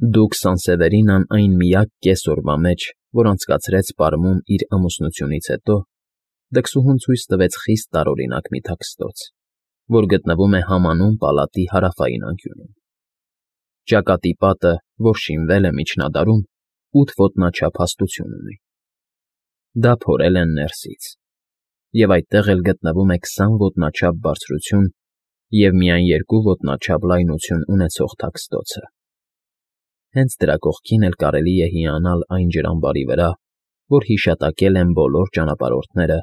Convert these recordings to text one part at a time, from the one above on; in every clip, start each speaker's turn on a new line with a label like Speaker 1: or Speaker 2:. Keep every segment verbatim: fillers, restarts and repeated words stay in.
Speaker 1: Դուք Սանսևերինան այն միակ կես օրվա մեջ, որ անցկացրեց պարումն իր ամուսնությունից հետո, դքսուհուն ցույց տվեց խիստ տարօրինակ մի թաքստոց, որ գտնվում է համանուն պալատի հարավային անկյունում. ճակատի պատը, որ շինվել է միջնադարում, ութ ոտնաչափ հաստություն ունի. դա փորել են ներսից, և այդտեղ էլ գտնվում է քսան ոտնաչափ բարձրություն և միայն երկու ոտնաչափ լայնություն ունեցող թաքստոցը. հենց դրա կողքին էլ կարելի է հիանալ այն ջրամբարի վրա, որ հիշատակել են բոլոր ճանապարհորդները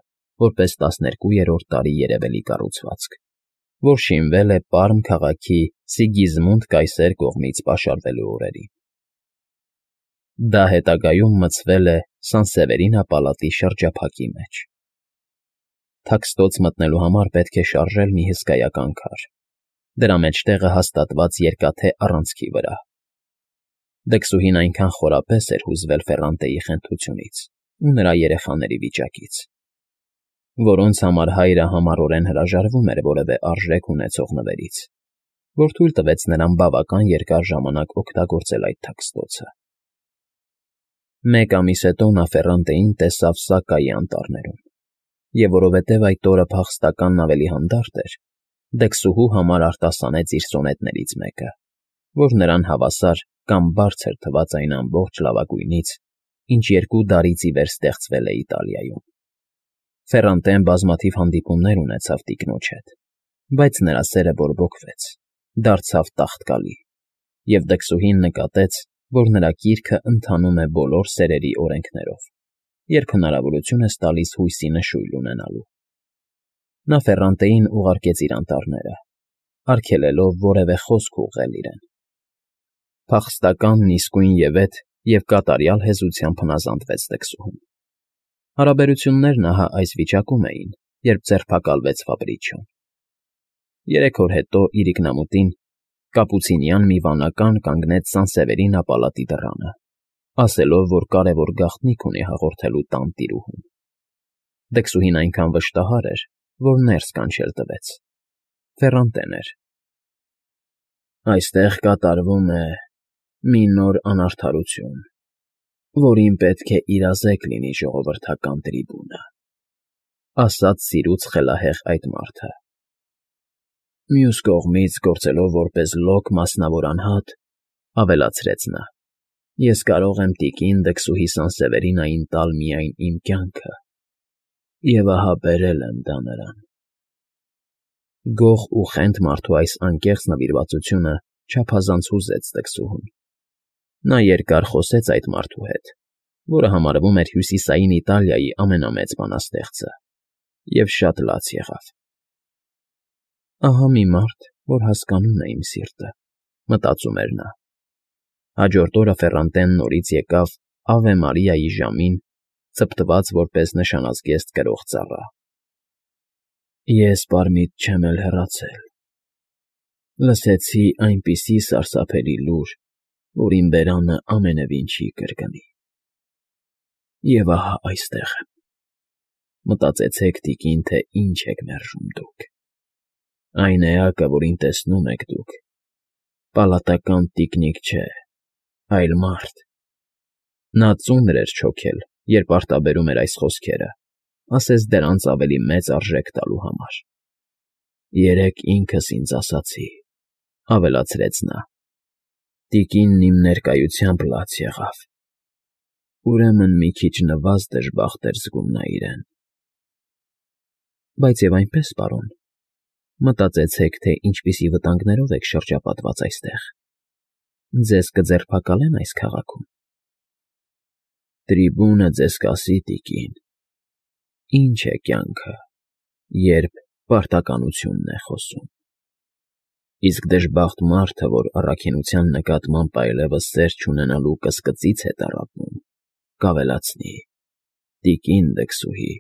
Speaker 1: որպես տասներկուերորդ դարի երևելի կառուցվածք, որ շինվել է Պարմ քաղաքի Սիգիզմունդ կայսեր կողմից պաշարվելու օրերին. դա հետագայում մցվել է Սանսևերինա պալատի շրջափակի մեջ. թաքստոց մտնելու համար պետք է շարժել մի հսկայական քար, դրա մեջտեղը հաստատված երկաթե առանցքի վրա. Դքսուհին այնքան խորապես էր հուզվել Ֆեռանտեի խենթությունից ու նրա երեխաների վիճակից, որոնց համար հայրը համառորեն հրաժարվում էր որևէ արժեք ունեցող նվերից, որ թույլ տվեց նրան բավական երկար ժամանակ օգտագործել այդ թաքստոցը. Մեկ ամիս հետո նա Ֆեռանտեին տեսավ Սակայի անտառներում, և որովհետև այդ օրը փախստականն ավելի հանդարտ էր, դքսուհու համար արտասանեց իր սոնետներից մեկը, որ նրան հավասար կամ բարձր թվաց այն ամբողջ լավագույնից, ինչ երկու դարից ի վեր ստեղծվել է Իտալիայում. Ֆեռանտեն բազմաթիվ հանդիպումներ ունեցավ տիկնոջ հետ, բայց նրա սերը բորբոքվեց, դարձավ տաղտկալի, և դքսուհին նկատեց, որ նրա կիրքը ընթանում է բոլոր սերերի օրենքներով, երբ հնարավորություն ես տալիս հույսի նշույլ ունենալու. Նա Ֆեռանտեին ուղարկեց իր անտառները, արգելելով որևէ խոսք ուղղել իրեն. Փախստականն իսկույնևեթ և կատարյալ հեզությամբ հնազանդվեց դքսուհուն. հարաբերություններն ահա այս վիճակում էին, երբ ձերբակալվեց Ֆաբրիչոն. երեք օր հետո իր ինքնամուտին կապուցինյան մի վանական կանգնեց Սանսևերինա պալատի դռանը, ասելով, որ կարևոր գաղտնիք ունի հաղորդելու տան տիրուհուն. Դքսուհին այնքան վշտահար էր, որ ներս կանչել տվեց. Ֆեռանտեն էր. այստեղ կատարվում է մի նոր անարդարություն, որին պետք է իրազեկ լինի ժողովրդական տրիբունը, ասաց սիրուց խելահեղ այդ մարդը. մյուս կողմից, գործելով որպես լոկ մասնավոր անհատ, ավելացրեց նա. ես կարող եմ տիկին դքսուհի Սանսևերինային տալ միայն իմ կյանքը, և ահա բերել եմ դա նրան. Գող ու խենթ մարդու այս անկեղծ նվիրվածությունը չափազանց հուզեց դքսուհուն. նա երկար խոսեց այդ մարդու հետ, որը համարվում էր Հյուսիսային Իտալիայի ամենամեծ բանաստեղծը, և շատ լաց եղավ. «Ահա մի մարդ, որ հասկանում է իմ սիրտը», մտածում էր նա. Հաջորդ օրը Ֆեռանտեն նորից եկավ Ավե Մարիայի ժամին, ցպտված որպես նշանազգեստ կրող ծառա. Ես պարմիտ չեմ էլ հեռացել. լսեցի այնպիսի սարսափելի լուր, որ իմ բերանը ամենևին չի կրկնի. և ահա այստեղ եմ. մտածեցեք, տիկին, թե ինչ եք մերժում դուք. այն էակը, որին տեսնում եք դուք, պալատական տիկնիկ չէ, այլ մարդ. նա ծունր էր չոքել, երբ արտաբերում էր այս խոսքերը, ասես դրանց ավելի մեծ արժեք տալու համար. երեկ ինքս ինձ ասացի, ավելացրեց նա. տիկինն իմ ներկայությամբ լաց եղավ. ուրեմն մի քիչ նվազ դժբախտ էր զգում նա իրեն. բայց և այնպես, պարոն, մտածեցեք, թե ինչպիսի վտանգներով եք շրջապատված այստեղ. ձեզ կձերբակալեն այս քաղաքում. տրիբունը ձեզ կասի, տիկին, ինչ է կյանքը, երբ պարտականությունն է խոսում. իսկ դժբախտ մարդը, որ առաքինության նկատմամբ այլևս սեր չունենալու կսկծից է տառապում, կավելացնի. տիկին դքսուհի,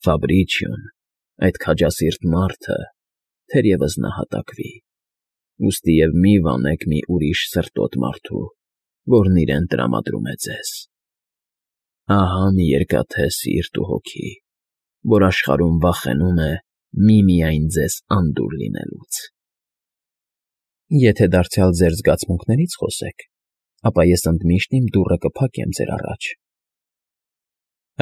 Speaker 1: Ֆաբրիչիոն, այդ քաջասիրտ մարդը, թերևս նահատակվի, ուստիև մի վանեք մի ուրիշ սրտոտ մարդու, որն իրեն տրամադրում է ձեզ. ահա մի երկաթե սիրտ ու հոգի, որ աշխարհում վախենում է միմիայն ձեզ անդուր լինելուց։ Եթե դարձյալ ձեր զգացմունքներից խոսեք, ապա ես ընդմիշտ իմ դուռը կփակեմ ձեր առաջ։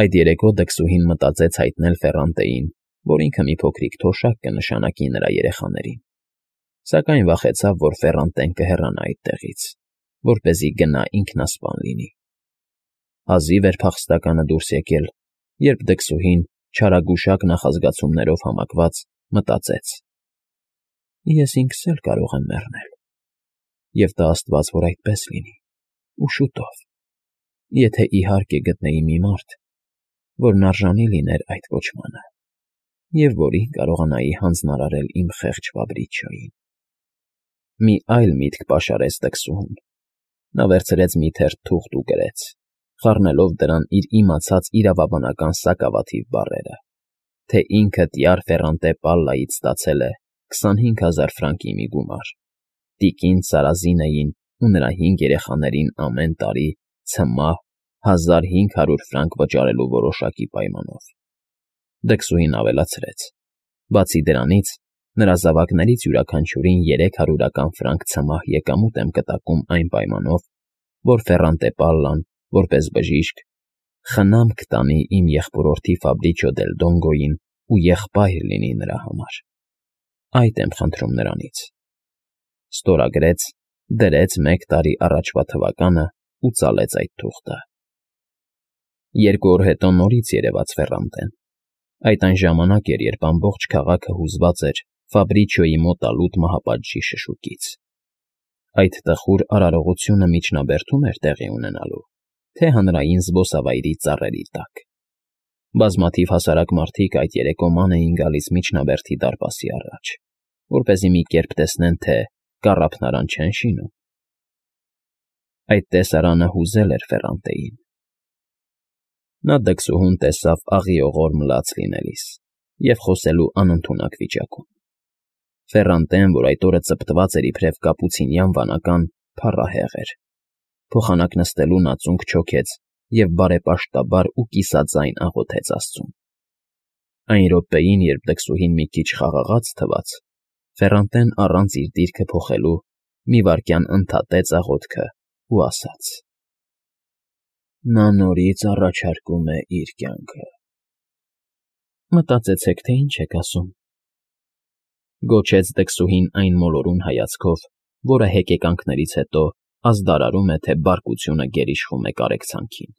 Speaker 1: Այդ երեկո դքսուհին մտածեց հայտնել Ֆեռանտեին, որ ինքը մի փոքրիկ թոշակ կնշանակի նրա երեխաներին, սակայն վախեցավ, որ Ֆեռանտեն կհեռանա այդտեղից, որպեսզի գնա ինքնասպան լինի։ Հազիվ էր փախստականը դուրս եկել, երբ դքսուհին, չարագուշակ նախազգացումներով համակված, մտածեց. «Ես ինքս էլ կարող եմ մեռնել, և տա աստված, որ այդպես լինի, ու շուտով, եթե իհարկե գտնեի մի մարդ, որն արժանի լիներ այդ կոչմանը, և որին կարողանայի հանձնարարել իմ խեղճ Ֆաբրիչիոյին»։ Մի այլ միտք պաշարեց դքսուհուն. նա վերցրեց մի թերթ թուղթ ու գրեց, խառնելով դրան իր իմացած իրավաբանական սակավաթիվ բառերը, թե ինքը տյար Ֆեռանտե Պալլայից ստացել է քսանհինգ հազար ֆրանկի մի գումար, տիկին Սարազինեին ու նրա հինգ երեխաներին ամեն տարի ցմահ հազար հինգ հարյուր ֆրանկ վճարելու որոշակի պայմանով։ Դքսուհին ավելացրեց. բացի դրանից, նրա զավակներից յուրաքանչյուրին երեք հարյուրական ֆրանկ ցմահ եկամուտ եմ կտակում այն պայմանով, որ Ֆեռանտե Պալլան, որպես բժիշկ, խնամք տանի իմ եղբորորդի Ֆաբրիչիո դել Դոնգոյին ու եղբայր լինի նրա համար։ Այդ եմ խնդրում նրանից։ Ստորագրեց, դրեց մեկ տարի առաջվա թվականը ու ծալեց այդ թուղթը։ Երկու օր հետո նորից երևաց Ֆեռանտեն։ Այդ այն ժամանակ էր, երբ ամբողջ քաղաքը հուզված էր Ֆաբրիչիոյի մոտալուտ մահապատժի շշուկից։ Այդ տխուր արարողությունը միջնաբերդում էր տեղի ունենալու, թե հանրային զբոսավայրի ծառերի տակ։ Բազմաթիվ հասարակ մարդիկ այդ երեկո ման էին գալիս միջնաբերդի դարպասի առաջ, որպեսզի մի կերպ տեսնեն, թե կառափնարան չեն շինում։ Այդ տեսարանը հուզել էր Ֆեռանտեին։ Նա դքսուհուն տեսավ աղիողոր մլաց լինելիս և խոսելու անընդունակ վիճակում։ Ֆեռանտեն, որ այդ օրը ծպտված էր իբրև կապուցինյան վանական, փառահեղ էր։ Փոխանակ նստելու նա ծունկ չոքեց և բարեպաշտաբար ու կիսաձայն աղոթեց աստծուն։ Այն րոպեին, երբ դքսուհին մի քիչ խաղաղաց թվաց, Ֆեռանտեն առանց իր դիրքը փոխելու մի վայրկյան ընդհատեց աղոթքը ու ասաց. «Նա նորից առաջարկում է իր կյանքը»։ Մտածեցեք, թե ինչ եք ասում,֊ գոչեց դքսուհին այն մոլորուն հայացքով, որը հեկեկանքներից հետո ազդարարում է, թե բարկությունը գերիշխում է կարեկցանքին։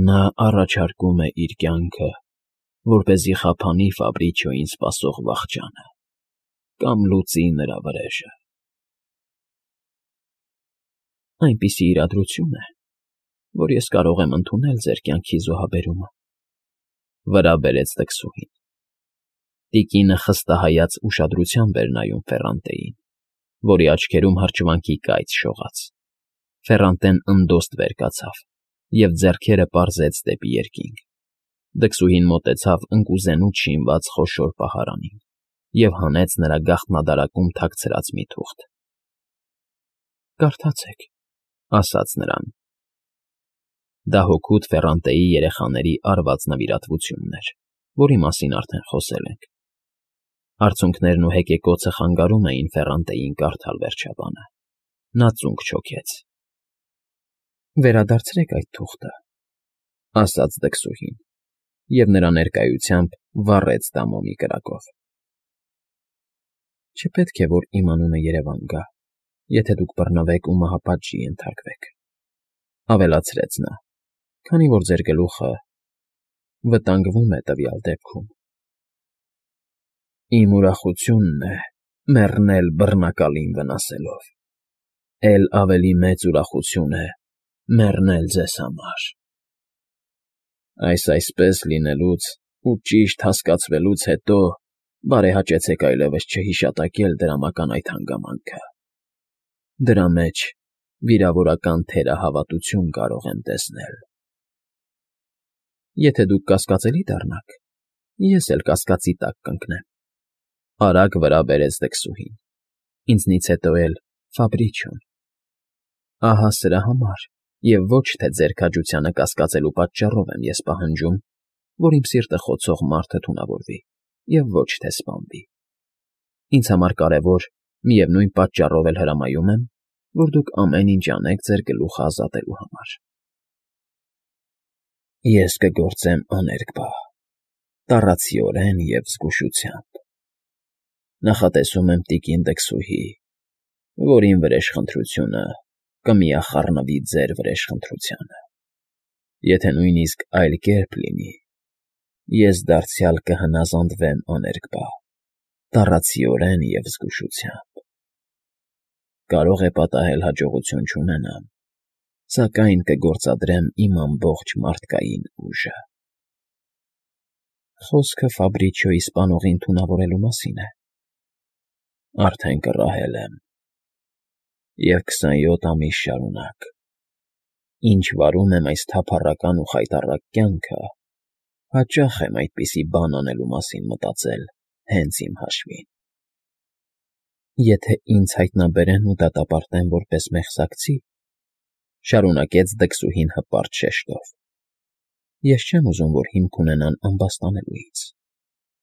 Speaker 1: «Նա առաջարկում է իր կյանքը, որպեսզի խափանի Ֆաբրիչիոյին սպասող վախճանը կամ լուծի նրա վրեժը»։ Այնպիսի իրադրություն է, որ ես կարող եմ ընդունել ձեր կյանքի զոհաբերումը,֊ վրա բերեց դքսուհին։ Տիկինը խստահայաց ուշադրությամբ էր նայում Ֆեռանտեին, որի աչքերում հրճվանքի կայծ շողաց։ Ֆեռանտեն ընդոստ վեր կացավ և ձեռքերը պարզեց դեպի երկինք։ Դքսուհին մոտեցավ ընկուզենուց շինված խոշոր պահարանին և հանեց նրա գաղտնադարակում թաքցրած մի թուղթ։ «Կարդացեք»,֊ ասաց նրան։ Դա հօգուտ Ֆեռանտեի երեխաների արված նվիրատվությունն էր, որի մասին արդեն խոսել ենք։ Արցունքներն ու հեկեկոցը խանգարում էին Ֆեռանտեին կարդալ վերջաբանը։ Նա ծունկ չոքեց։ «Վերադարձրեք այդ թուղթը», ասաց դքսուհին, և նրա ներկայությամբ վառեց դա մոմի կրակով։ «Չպետք է, որ իմ անունը երևան գա, եթե դուք բռնվեք ու մահապատժի ենթարկվեք,֊ ավելացրեց նա,֊ քանի որ ձեր գլուխը վտանգվում է տվյալ դեպքում։ Իմ ուրախությունն է մեռնել բռնակալին վնասելով, էլ ավելի մեծ ուրախություն է մեռնել ձեզ համար։ Այս այսպես լինելուց ու ճիշտ հասկացվելուց հետո բարեհաճեցեք այլևս չհիշատակել դրամական այդ հանգամանքը։ Դրա մեջ վիրավորական թերահավատություն կարող եմ տեսնել։ Եթե դուք կասկածելի դառնաք, ես էլ կասկածի տակ կընկնեմ,֊ արագ վրա բերեց դքսուհին,֊ ինձնից հետո էլ Ֆաբրիչիոն։ Ահա սրա համար և ոչ թե ձեր քաջությանը կասկածելու պատճառով եմ ես պահանջում, որ իմ սիրտը խոցող մարդը թունավորվի և ոչ թե սպանվի։ Ինձ համար կարևոր, միևնույն պատճառով էլ հրամայում եմ, որ դուք ամեն ինչ անեք ձեր գլուխը ազատելու համար։ Ես կգործեմ աներկբա, տառացիորեն և զգուշությամբ։ Նախատեսում եմ տիկին Դքսուհի, որին վրեժխնդրությունը կմիախառնվի ձեր վրեժխնդրությանը։ Եթե նույնիսկ այլ կերպ լինի, ես դարձյալ կհնազանդվեմ աներկբա, տառացիորեն և զգուշությամբ։ Կարող է պատահել հաջողություն չունենամ, սակայն կգործադրեմ իմ ամբողջ մարդկային ուժը։ Խոսքը Ֆաբրիչիոյի սպանողին թունավորելու մասին է։ Արդեն կռահել եմ, և քսանյոթ ամիս շարունակ, ինչ վարում եմ այս թափառական ու խայտառակ կյանքը, հաճախ եմ այդպիսի բան անելու մասին մտածել հենց իմ հաշվին։ Եթե ինձ հայտնաբերեն ու դատապարտեն որպես մեղսակցի, շարունակեց Դքսուհին հպարտ շեշտով, ես չեմ ուզում, որ հիմք ունենան ամբաստանելուից,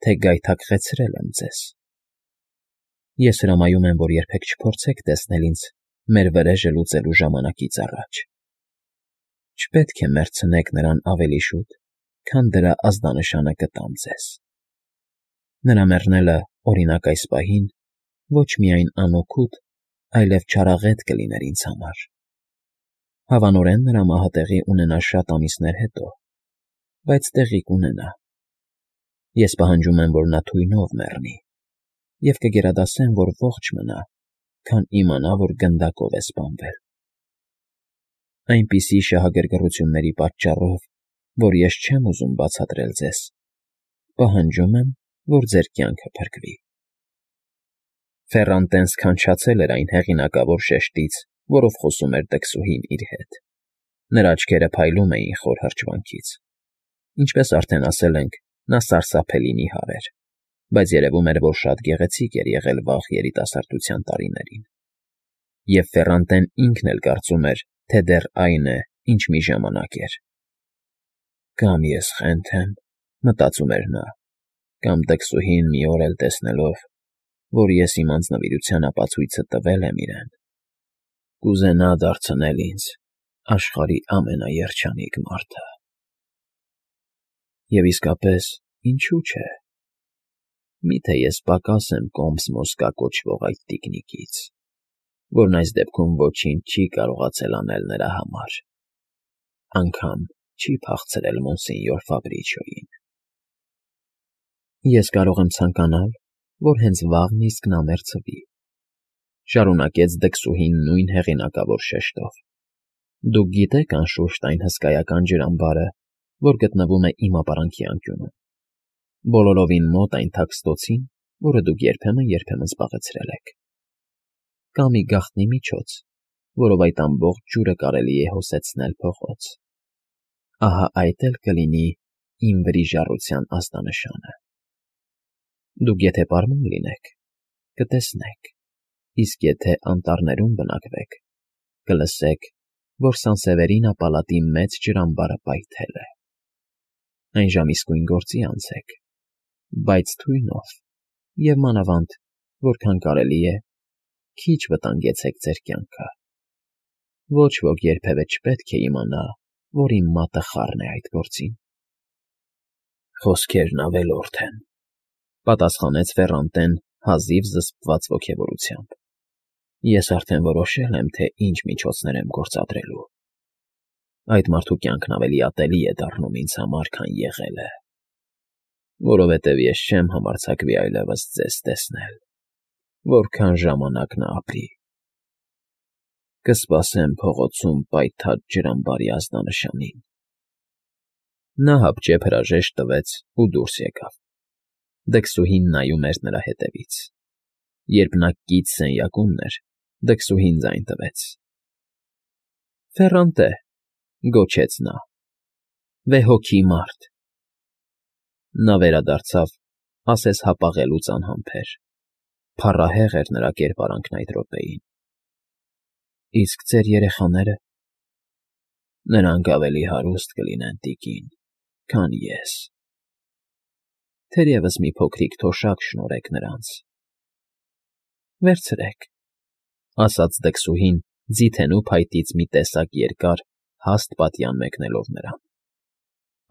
Speaker 1: թե գայթակղեցրել եմ ձեզ։ Ես հրամայում եմ, որ երբեք չփորձեք տեսնել ինձ մեր վրեժը լուծելու ժամանակից առաջ։ Չպետք է մեռցնեք նրան ավելի շուտ, քան դրա ազդանշանը կտամ ձեզ։ Նրա մեռնելը, օրինակ, այս պահին ոչ միայն անօգուտ, այլև չարաղետ կլիներ ինձ համար։ Հավանորեն նրա մահը տեղի ունենա շատ ամիսներ հետո, բայց տեղի կունենա։ Ես պահանջում եմ, որ նա թույնով մեռնի, և կգերադասեմ, որ ողջ մնա, քան իմանա, որ գնդակով է սպանվել։ Այնպիսի շահագրգռությունների պատճառով, որ ես չեմ ուզում բացատրել ձեզ, պահանջում եմ, որ ձեր կյանքը փրկվի։ Ֆեռանտեն սքանչացել էր այն հեղինակավոր շեշտից, որով խոսում էր Դքսուհին իր հետ։ Նրա աչքերը փայլում էին խոր հրճվանքից։ Ինչպես արդեն ասել ենք, նա սարսափելի նիհար էր, բայց երևում էր, որ շատ գեղեցիկ էր եղել վաղ երիտասարդության տարիներին։ Եվ Ֆեռանտեն ինքն էլ կարծում էր, թե դեռ այն է, ինչ մի ժամանակ էր։ «Կամ ես խենթ եմ,֊ մտածում էր նա,֊ կամ Դքսուհին մի օր էլ տեսնելով, որ ես իմ անձնվիրության ապացույցը տվել եմ իրեն, կուզենա դարձնել ինձ աշխարհի ամենաերջանիկ մարդը։ Եվ իսկապես, ինչու՞ չէ։ Մի՞թե ես պակաս եմ Կոմս֊Մոսկա կոչվող այդ տիկնիկից, որն այս դեպքում ոչինչ չի կարողացել անել նրա համար, անգամ չի փախցրել մոնսենյոր Ֆաբրիչիոյին։ Ես կարող եմ ցանկանալ, որ հենց վաղն իսկ նա մեռցվի,֊ շարունակեց Դքսուհին նույն հեղինակավոր շեշտով։ Դուք գիտեք, անշուշտ, այն հսկայական ջրամբարը, որ գտնվում է իմ ապարանքի անկյունում, բոլորովին մոտ այն թաքստոցին, որը դուք երբեմն֊երբեմն զբաղեցրել եք։ Կա մի գաղտնի միջոց, որով այդ ամբողջ ջուրը կարելի է հոսեցնել փողոց։ Ահա այդ էլ կլինի իմ վրիժառության ազդանշանը։ Դուք եթե պարմուն լինեք, կտեսնեք, իսկ եթե անտառներում բնակվեք, կլսեք, որ Սանսևերինա պալատի մեծ ջրամբարը պայթել է։ Այն ժամ իսկույն գործի անցեք, բայց թույնով և մանավանդ, որքան կարելի է, քիչ վտանգեցեք ձեր կյանքը։ Ոչ ոք երբևէ չպետք է իմանա, որ իմ մատը խառն է այդ գործին։ Խոսքերն ավելորդ են,֊ պատասխանեց Ֆեռանտեն հազիվ զսպված ոգևորությամբ։ Ես արդեն որոշել եմ, թե ինչ միջոցներ եմ գործադրելու։ Այդ մարդու կյանքն ավելի ատելի է դառնում ինձ համար, քան եղել է, որովհետև ես չեմ համարձակվի այլևս ձեզ տեսնել, որքան ժամանակ նա ապրի։ Կսպասեմ փողոցում պայթած ջրամբարի ազդանշանին։ Նա հապճեպ հրաժեշտ տվեց ու դուրս եկավ։ Դքսուհին նայում էր նրա ետևից։ Երբ նա կից սենյակումն էր, Դքսուհին ձայն տվեց։ «Ֆեռանտե,֊ գոչեց նա,֊ վեհոգի մարդ…» Նա վերադարձավ, ասես հապաղելուց անհամբեր։ Փառահեղ էր նրա կերպարանքն այդ րոպեին։ «Իսկ ձեր երեխաները…» «Նրանք ավելի հարուստ կլինեն, տիկին, քան ես։ Թերևս մի փոքրիկ թոշակ շնորհեք նրանց»։ «Վերցրեք,֊ ասաց Դքսուհին, ձիթենու փայտից մի տեսակ երկար, հաստ պատյան մեկնելով նրան։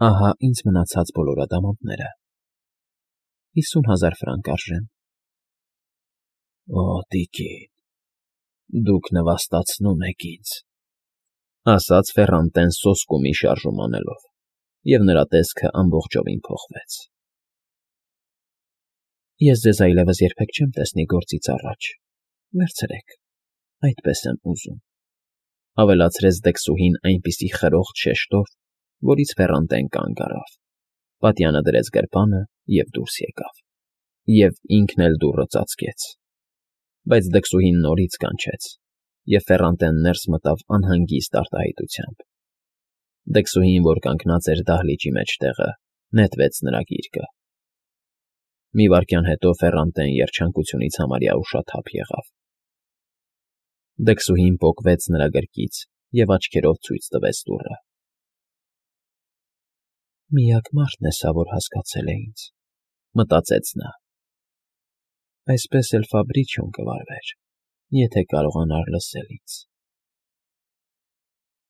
Speaker 1: Ահա ինձ մնացած բոլոր ադամանդները… հիսուն հազար ֆրանկ արժեն։ Օ, տիկին, դուք նվաստացնում եք ինձ,֊ ասաց Ֆեռանտեն սոսկումի շարժում անելով, և նրա տեսքը ամբողջովին փոխվեց։ Ես ձեզ այլևս երբեք չեմ տեսնի գործից առաջ, վերցրեք, այդպես եմ ուզում,֊ ավելացրեց դքսուհին այնպիսի խրոխտ շեշտով, որից Ֆեռանտեն կանգ առավ, պատյանը դրեց գրպանը և դուրս եկավ, և ինքն էլ դուռը ծածկեց, բայց դքսուհին նորից կանչեց, և Ֆեռանտեն ներս մտավ անհանգիստ արտահայտությամբ։ Դքսուհին, որ կանգնած էր դահլիճի մեջտեղը, նետվեց նրա գիրկը։ Մի վայրկյան հետո Ֆեռանտեն երջանկությունից համարյա ուշաթափ եղավ։ Դքսուհին պոկվեց նրա գրկից և աչքերով ցույց տվեց դուռը։ «Միակ մարդն է սա, որ հասկացել է ինձ,֊ մտածեց նա։ Այսպես էլ Ֆաբրիչիոն կվարվեր, եթե կարողանար լսել ինձ»։